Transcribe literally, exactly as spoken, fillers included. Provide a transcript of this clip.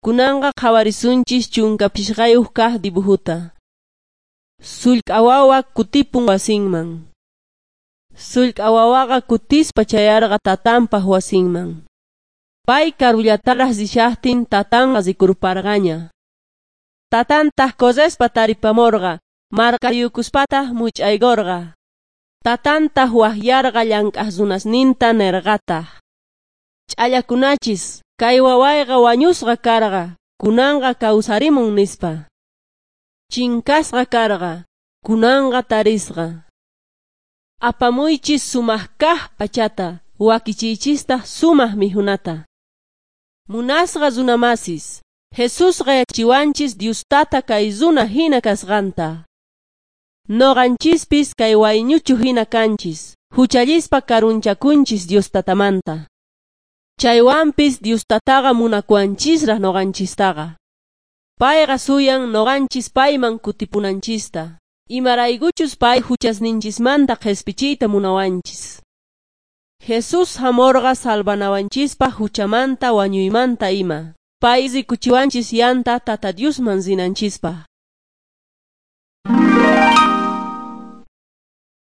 Kunanqa qhawarisunchis chunka phishqayuq kaq dibujuta. Sullk'a wawa kutipun wasinman. Sullk'a wawaqa kutispa chayarqa tatanpaq wasinman. Pay karullataraq rishaqtin tatanqa rikurparqaña. Tatantaq correspa taripamurqa, marqayukuspataq much'aykurqa. Tatantaq waqyarqa llank'aq runasninta nirqataq: Ch'allakunachis, kay wawayqa wañusqa karqa, kunanqa kawsarimun nispa. Chinkasqa karqa, kunanqa tarisqa. Apamuychis sumaq kaq p'achata, wakichiychistaq sumaq mikhunata. Munasqa runamasis, Jesusqa yachachiwanchis Dios Tata kay runa hina kasqanta. Nuqanchispis kay wayñuchu hina kanchis, huchallispa karunchakunchis Dios Tatamanta. Chaywanpis Dios Tataqa munakuwanchisraq nuqanchistaqa. Payqa suyan nuqanchis payman kutipunanchista. Imaraykuchus pay huchasninchismanta qhispichiyta munawanchis. Jesús hamurqa salvanawanchispaq huchamanta wañuymanta ima. Pay rikuchiwanchis yanta Tata Diosman rinanchispaq.